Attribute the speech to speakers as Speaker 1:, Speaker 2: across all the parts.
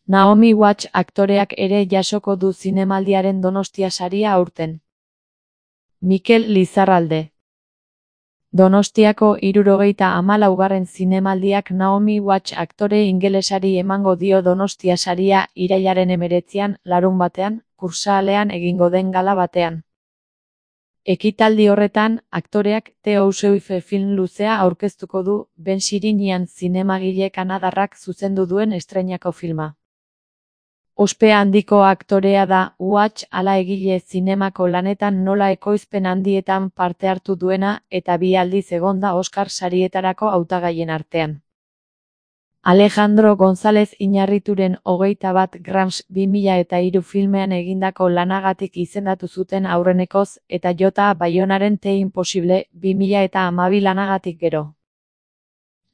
Speaker 1: Naomi Watts aktoreak ere jasoko du zinemaldiaren Donostia saria aurten. Mikel Lizarralde. Donostiako 74. zinemaldiak Naomi Watts aktore ingelesari emango dio Donostia saria irailaren 19, larunbatean, Kursaalean egingo den gala batean. Ekitaldi horretan, aktoreak The Housewife film luzea aurkeztuko du, Ben Sirinian zinemagile kanadarrak zuzendu duen estreinako filma. Ospe handiko aktorea da, Watts hala egile zinemako lanetan nola ekoizpen handietan parte hartu duena eta 2 aldiz egon da Oscar sarietarako hautagaien artean. Alejandro González Iñárrituren 21 Grams 2003 filmean egindako lanagatik izendatu zuten aurrenekoz eta Jota Bayonaren The Impossible 2012 lanagatik gero.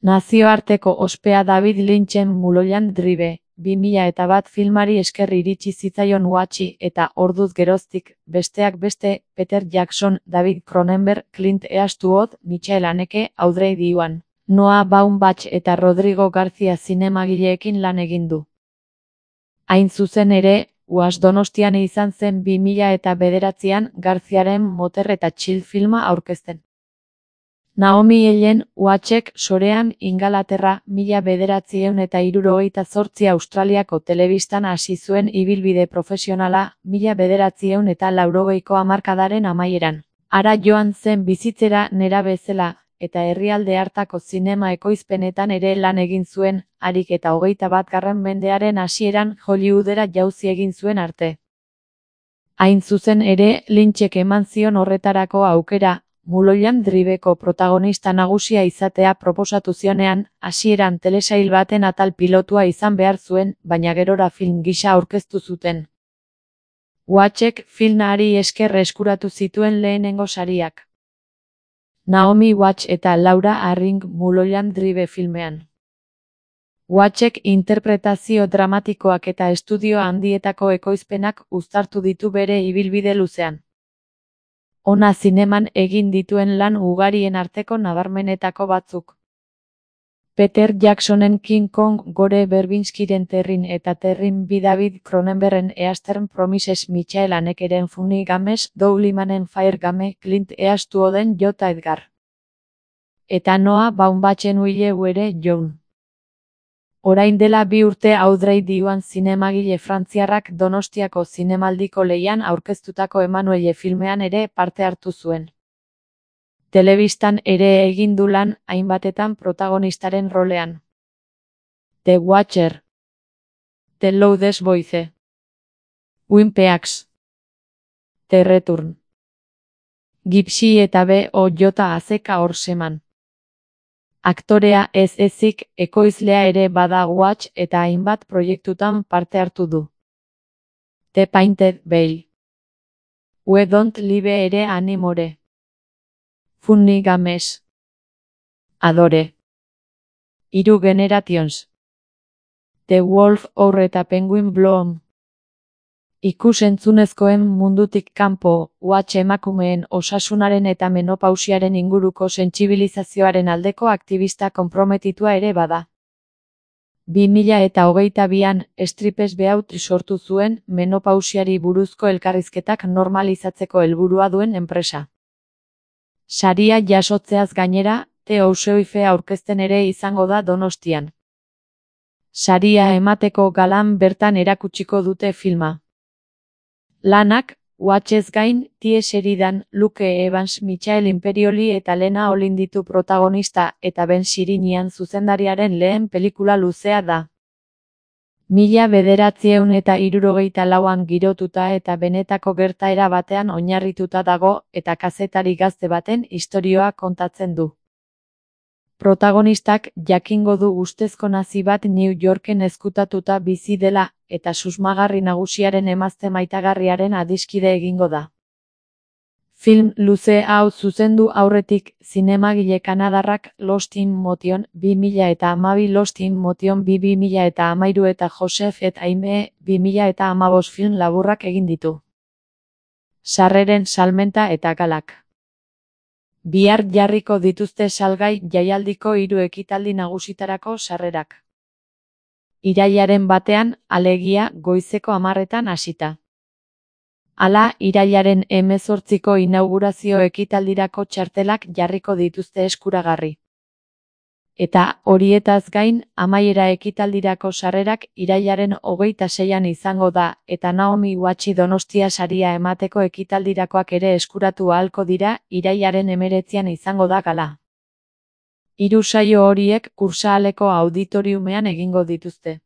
Speaker 1: Nazioarteko ospea David Lynchen Mulholland Drive 2001 filmari esker iritsi zitzaion Watchi eta orduz geroztik, besteak beste, Peter Jackson, David Cronenberg, Clint Eastwood, Michael Haneke, Audrey Diwan, Noah Baumbach eta Rodrigo García zinemagileekin lan egin du. Hain zuzen ere, Watts Donostian izan zen 2009an Garziaren Moter eta Chill filma aurkezten. Naomi Ellen Wattsek sorean Ingalaterra 1978 Australiako telebistan hasi zuen ibilbide profesionala 1980ko hamarkadaren amaieran. Hara joan zen bizitzera nerabezela, eta herrialde hartako zinema ekoizpenetan ere lan egin zuen, harik eta 21. mendearen hasieran Hollywoodera jauzi egin zuen arte. Hain zuzen ere, Lynchek eman zion horretarako aukera, Mulholland Driveko protagonista nagusia izatea proposatu zionean, hasieran telesail baten atal pilotua izan behar zuen, baina gerora film gisa aurkeztu zuten. Wattsek filmari esker eskuratu zituen lehenengo sariak. Naomi Watts eta Laura Harring Mulholland Drive filmean. Wattsek interpretazio dramatikoak eta estudio handietako ekoizpenak uztartu ditu bere ibilbide luzean. Ona zineman egin dituen lan ugarien arteko nabarmenetako batzuk. Peter Jacksonen King Kong, Gore Verbinskiren Terrin eta Terrin B. David Cronenbergen Eastern Promises, Michael Hanekeren Funny Games, Doug Limanen Fire Game, Clint Eastwooden J. Edgar. Eta Noah Baumbach'en Will Were Young. Orain dela 2 urte Audrey Diwan zinemagile frantziarrak Donostiako zinemaldiko lehian aurkeztutako Emanuelle filmean ere parte hartu zuen. Telebistan ere egin du lan, hainbatetan protagonistaren rolean. The Watcher, The Loudest Voice, Twin Peaks, The Return, Gypsy eta B.O.J. Horseman. Aktorea ez ezik, ekoizlea ere bada Watts eta hainbat proiektutan parte hartu du. The Painted Veil, We Don't Live ere Animore, Funny Games, Adore, 3 Generations, The Wolf Hour eta Penguin Bloom. Ikus-entzunezkoen mundutik kanpo, Watts emakumeen osasunaren eta menopausiaren inguruko sentsibilizazioaren aldeko aktivista konprometitua ere bada. 2022an, Stripes Beaut sortu zuen, menopausiari buruzko elkarrizketak normalizatzeko helburua duen enpresa. Saria jasotzeaz gainera, The Housewife aurkezten ere izango da Donostian. Saria emateko galan bertan erakutsiko dute filma. Lanak, Wattsez gain, T. Sheridan, Luke Evans, Michael Imperioli eta Lena Olin ditu protagonista eta Ben Sirinian zuzendariaren lehen pelikula luzea da. 1974an girotuta eta benetako gertaera batean oinarrituta dago eta kazetari gazte baten istorioa kontatzen du. Protagonistak jakingo du ustezko nazi bat New Yorken ezkutatuta bizi dela, eta susmagarri nagusiaren emazte maitagarriaren adiskide egingo da. Film luze hau zuzendu aurretik, zinemagile kanadarrak Lost in Motion 2012, Lost in Motion 2013 eta Joseph et Aimee 2015 film laburrak egin ditu. Sarreren salmenta eta galak. Bihar jarriko dituzte salgai jaialdiko 3 ekitaldi nagusitarako sarrerak. irailaren batean, alegia goizeko 10etan hasita. Hala, irailaren 18ko inaugurazio ekitaldirako txartelak jarriko dituzte eskuragarri. Eta horietaz gain, amaiera ekitaldirako sarrerak irailaren 26an izango da, eta Naomi Watchi Donostia saria emateko ekitaldirakoak ere eskuratu ahalko dira, irailaren 19an izango da gala. 3 saio horiek Kursahaleko auditoriumean egingo dituzte.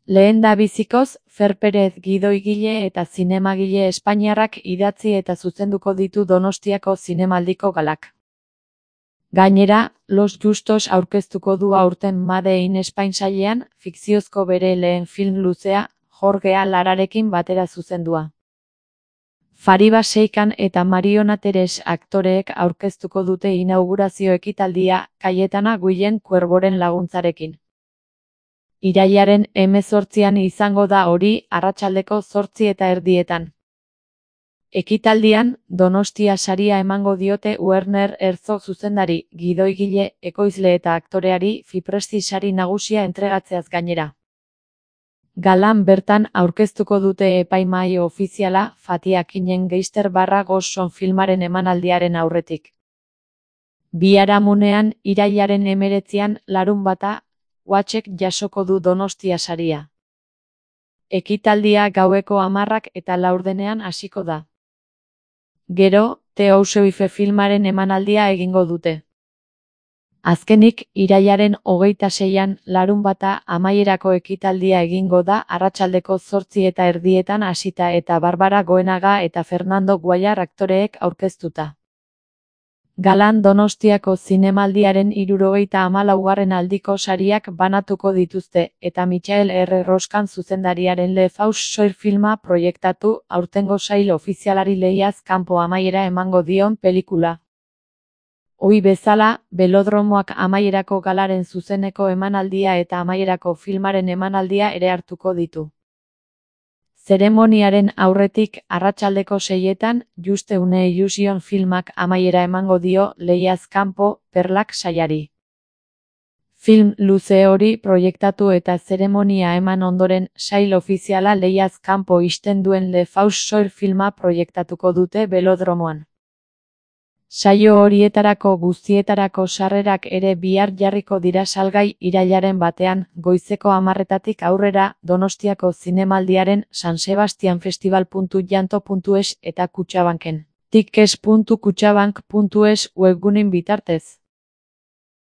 Speaker 1: Lehendabizikoz, Fer Perez gidoigile eta zinemagile espainiarrak idatzi eta zuzenduko ditu Donostiako zinemaldiko galak. Gainera, Los Justos aurkeztuko du aurten Made in Spain sailean, fikziozko bere lehen film luzea, Jorgea Lararekin batera zuzendua. Fariba Seikan eta Mariona Teres aktoreek aurkeztuko dute inaugurazio ekitaldia, Cayetana Guillen Cuervoren laguntzarekin. Irailaren 18an izango da hori, arratsaldeko 8:30. Ekitaldian, Donostia saria emango diote Werner Herzog zuzendari, gidoigile, ekoizle eta aktoreari Fipresti sari nagusia entregatzeaz gainera. Galan bertan aurkeztuko dute epaimahai ofiziala Fatih Akinen Geister /Gosson filmaren emanaldiaren aurretik. Biharamunean, irailaren 19an, larunbata, Watchek jasoko du Donostia saria. Ekitaldia gaueko 10:04 hasiko da. Gero, The Housewife filmaren emanaldia egingo dute. Azkenik, irailaren 26an, larunbata, amaierako ekitaldia egingo da arratsaldeko 8:30 hasita eta Barbara Goenaga eta Fernando Guayar aktoreek aurkeztuta. Galan Donostiako zinemaldiaren 74. aldiko sariak banatuko dituzte, eta Michael R. Roskan zuzendariaren Le Faux Soir filma proiektatu, aurtengo sail ofizialari lehiaz kanpo amaiera emango dion pelikula. Ohi bezala, Belodromoak amaierako galaren zuzeneko emanaldia eta amaierako filmaren emanaldia ere hartuko ditu. Zeremoniaren aurretik, arratsaldeko 6etan, Juste une Illusion filmak amaiera emango dio lehiaz kanpo, Perlak saiari. Film luze hori proiektatu eta zeremonia eman ondoren, sail ofiziala lehiaz kanpo ixten duen Le Faux Soir filma proiektatuko dute Belodromoan. Saio horietarako guztietarako sarrerak ere bihar jarriko dira salgai irailaren batean, goizeko 10:00 aurrera, Donostiako zinemaldiaren sansebastianfestival.janto.es eta Kutxabanken. tickets.kutxabank.es webguneen bitartez.